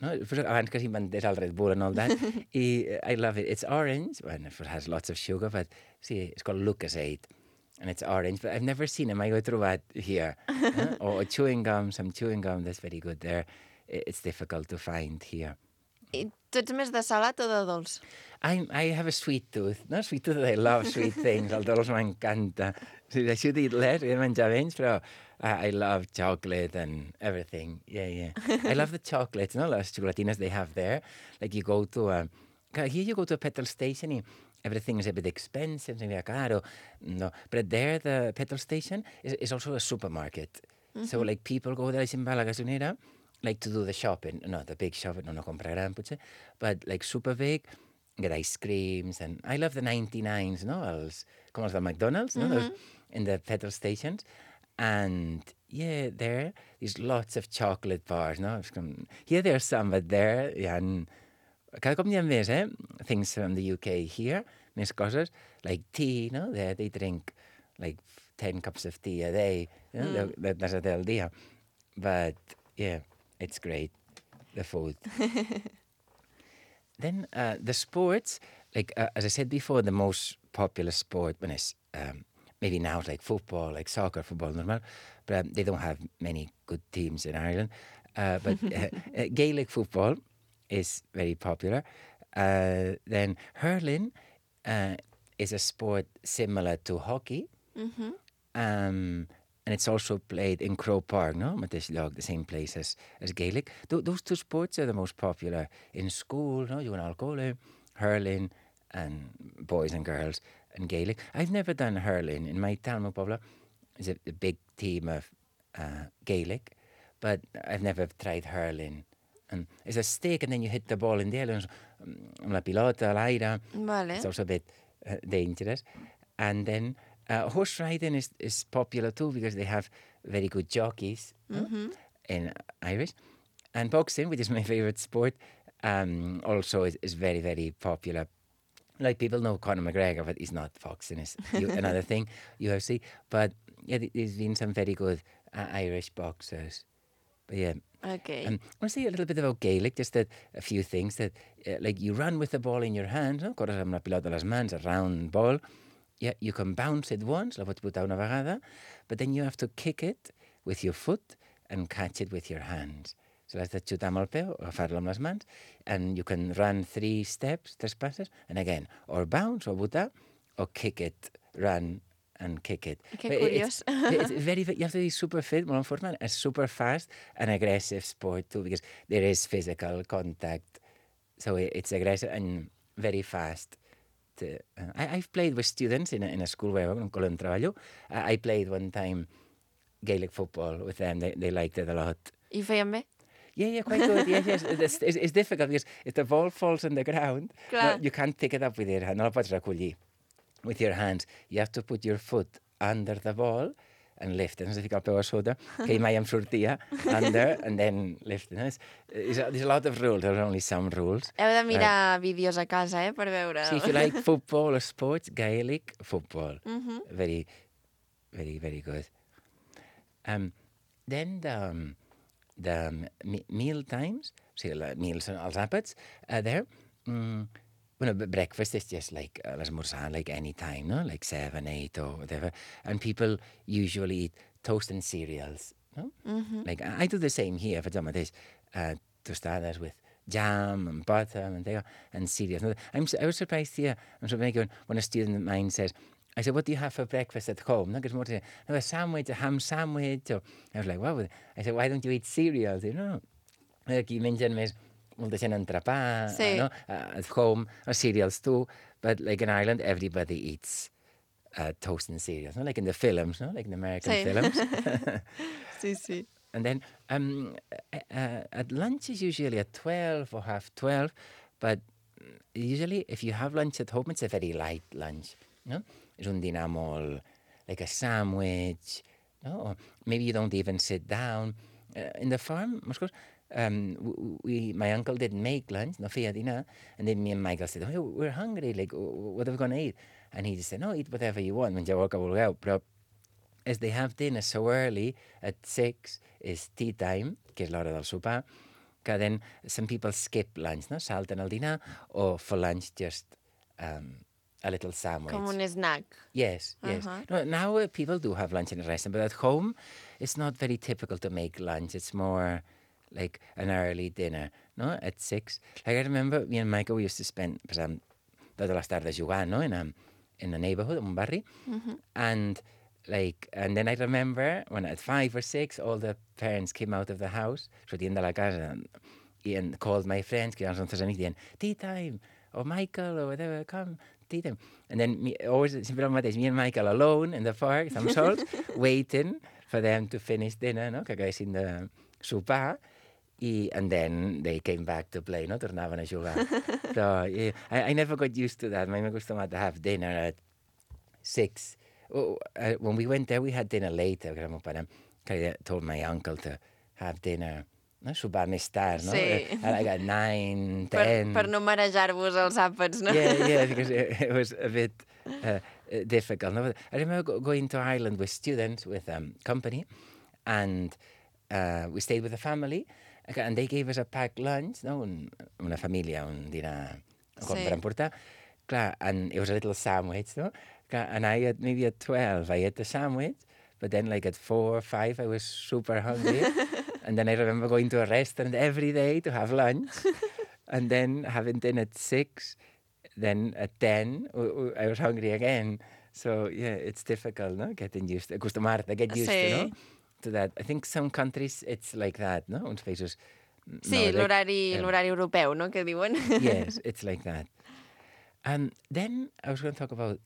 no? Abans que s'inventés el Red Bull and all that. I love it. It's orange, well, it has lots of sugar, but see, it's called Lucozade. And it's orange, but I've never seen it. Mai ho he trobat here. Or chewing gum, some chewing gum, that's very good there. It's difficult to find here. I tu ets més de salat o de dolç? I have a sweet tooth. No, sweet tooth, I love sweet things. El dolç m'encanta. I should eat less, he de menjar menys, però I love chocolate and everything. Yeah. I love the chocolates, no? Les xocolatines they have there. You go to here you go to a petrol station and everything is a bit expensive, maybe caro. No, but there the petrol station is also a supermarket. So people go there, se'n va a la gasolinera, to do the shopping. No, the big shopping, no comprar gran, potser, but super big. get ice creams, and I love the 99s, no? Com els del McDonald's, no? Those, in the petrol stations. And yeah, there's lots of chocolate bars, no? Here there's some, but there, and cada cop n'hi ha més, things from the UK here, més coses, like tea, no? They drink like 10 cups of tea a day, you know? That's a del dia. But yeah, it's great, the food. Then the sports, like as I said before, the most popular sport, when it's maybe now it's like football, like soccer, football, normal, but they don't have many good teams in Ireland. But Gaelic football is very popular. Then hurling is a sport similar to hockey. And it's also played in Croke Park, no? Mateix lloc, the same place as Gaelic. Those two sports are the most popular in school, no? You go al cole, hurling, and boys and girls, and Gaelic. I've never done hurling. In my town, Pobla, is a big team of Gaelic, but I've never tried hurling. And it's a stick, and then you hit the ball in the air, amb la pilota, a l'aire. Vale. It's also a bit dangerous. And then horse riding is popular too, because they have very good jockeys in Irish. And boxing, which is my favorite sport, also is very, very popular. Like, people know Conor McGregor, but he's not boxing. It's another thing, UFC. But yeah, there's been some very good Irish boxers. But yeah. Okay. I want to say a little bit about Gaelic, just a few things. That like, you run with the ball in your hand, no? Corres amb la pilota a les mans, a round ball. Yeah, you can bounce it once, la pots botar una vegada, but then you have to kick it with your foot and catch it with your hands. So l'has de xutar amb el peu, agafar-lo amb les mans, and you can run 3 steps, 3 passes, and again, or bounce, or botar, or kick it, run, and kick it. Que curiós. It's very, you have to be super fit, molt en forma, a super fast and aggressive sport too, because there is physical contact. So it's aggressive and very fast. I've played with students in a school where I'm on treballo. I played one time Gaelic football with them. They liked it a lot. I feien bé? Yeah, quite good. Yes. It's difficult because if the ball falls on the ground, no, you can't pick it up with your hand. No la pots recollir with your hands. You have to put your foot under the ball and lift it. No has de ficar el peu a sota, que mai em sortia, under, and then lift it. No? There's a lot of rules. There's only some rules. Heu de mirar vídeos a casa, per veure. See, if you like football or sports, Gaelic football. Very, very, very good. Then the meal times, so meals, els àpats, there. Breakfast is just like l'esmorzar, like any time, no? Like 7, 8 or whatever. And people usually eat toast and cereals, no? Like, I do the same here, faig el mateix. Tostades with jam and butter and cereals. I was surprised here. I'm surprised when a student of mine says, I said, what do you have for breakfast at home? No, because more say, no, a sandwich, a ham sandwich. Or, I was like, what? I said, why don't you eat cereals? You know, aquí mengen més molta gent entrepà, sí. No? At home, or cereals too. But like in Ireland, everybody eats toast and cereals, no? Like in the films, no? Like in American films. Sí. And then at lunch is usually at 12 or half 12. But usually, if you have lunch at home, it's a very light lunch, no? És un dinar molt, like a sandwich, no? Or maybe you don't even sit down. In the farm, my uncle didn't make lunch, no feia dinar, and then me and Michael said, oh, we're hungry, like, what are we going to eat? And he just said, no, eat whatever you want, mengeu el que vulgueu, però as they have dinner so early, at 6 is tea time, que és l'hora del sopar, que then some people skip lunch, no? Salten el dinar, or for lunch just a little sandwich. Com un snack. Yes. No, now people do have lunch in a restaurant, but at home, it's not very typical to make lunch. It's more like an early dinner, no? At 6. Like, I remember me and Michael, we used to spend, per exemple, totes les tardes jugant, no? In a neighborhood, in un barri. And then I remember when at 5 or 6, all the parents came out of the house, sortien de la casa, and called my friends, que eren els nostres amics, dient, tea time, or Michael, or whatever, come, tea time. And then, sempre el mateix, me and Michael alone in the park, some sols, waiting for them to finish dinner, no? Que acabessin de sopar. And then they came back to play, no? Tornaven a jugar. Però I never got used to that. M'he acostumat to have dinner at 6. When we went there, we had dinner later, perquè el meu pare told my uncle to have dinner, no? Sopar més tard, no? Sí. Like at 9, 10. Per no marejar-vos els àpats, no? Yeah, because it was a bit difficult. No? I remember going to Ireland with students, with company, and we stayed with a family, and they gave us a packed lunch, no? Una família, un dinar per emportar. Clar, and it was a little sandwich, no? And I had, maybe at 12, I ate the sandwich, but then like at 4 or 5, I was super hungry. And then I remember going to a restaurant every day to have lunch, and then having dinner at 6, then at 10, I was hungry again. So, yeah, it's difficult, no? Getting used to, acostumar-te, get used to, no? To that. I think some countries it's like that, no? Uns països... Sí, l'horari europeu, no? Que diuen. Yes, it's like that. And then I was going to talk about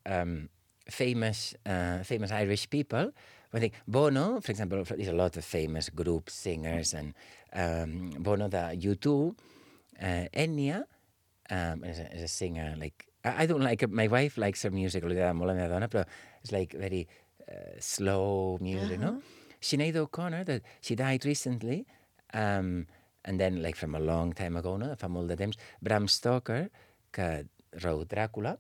famous Irish people. I think Bono, for example, there's a lot of famous groups, singers, and Bono, the U2, Enya is a singer. Like I don't like it. My wife likes her music, li agrada molt a la meva dona, però it's like very slow music, no? Sinead O'Connor, that she died recently, and then like from a long time ago, no? Fa molt de temps, Bram Stoker, que wrote Dracula,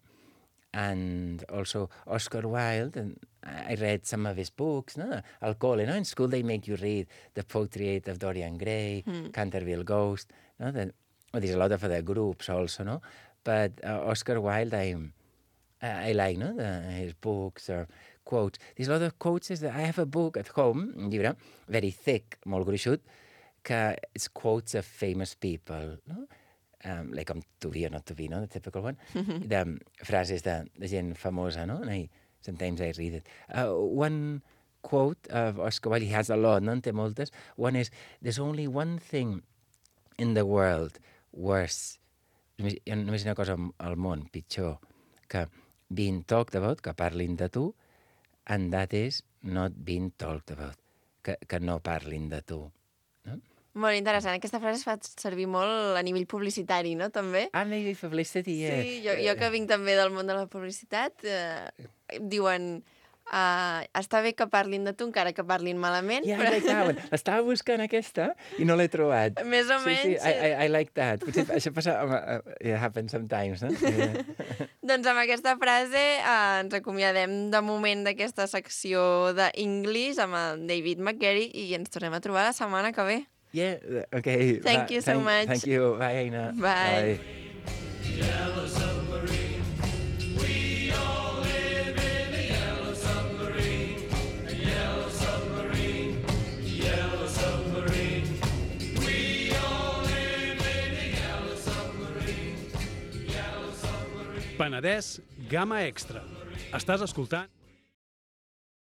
and also Oscar Wilde, and I read some of his books, no? Al cole, no? In school they make you read The Portrait of Dorian Gray, Canterville Ghost, no? There's a lot of other groups also, no? But Oscar Wilde, I like, no? His books or quotes. There's a lot of quotes. I have a book at home, un llibre, very thick, molt gruixut, que it's quotes of famous people, no? Like to be or not to be, no? The typical one. The frases de gent famosa, no? And sometimes I read it. One quote of Oscar Wilde, he has a lot, no? En té moltes. One is, there's only one thing in the world worse, només una cosa al món pitjor, que being talked about, que parlin de tu, and that is not being talked about, que no parlin de tu. No? Molt interessant. Aquesta frase es fa servir molt a nivell publicitari, no? També. Ah, maybe publicity, yeah. Sí, jo que vinc també del món de la publicitat, diuen... està bé que parlin de tu, encara que parlin malament. Yeah, I like that one. L'estava buscant aquesta i no l'he trobat. Més o menys. Sí, I like that. Potser això passa... It happens sometimes, no? Yeah. Doncs amb aquesta frase ens acomiadem de moment d'aquesta secció d'English amb el David McGarry i ens tornem a trobar la setmana que ve. Yeah, okay. Thank you so much. Thank you. Bye, Aina. Bye. Yellow submarine. We all live in a yellow submarine. A yellow submarine. Yellow submarine. We all live in a yellow submarine. Yellow submarine. Penedès, Gamma Extra. Estàs escoltant...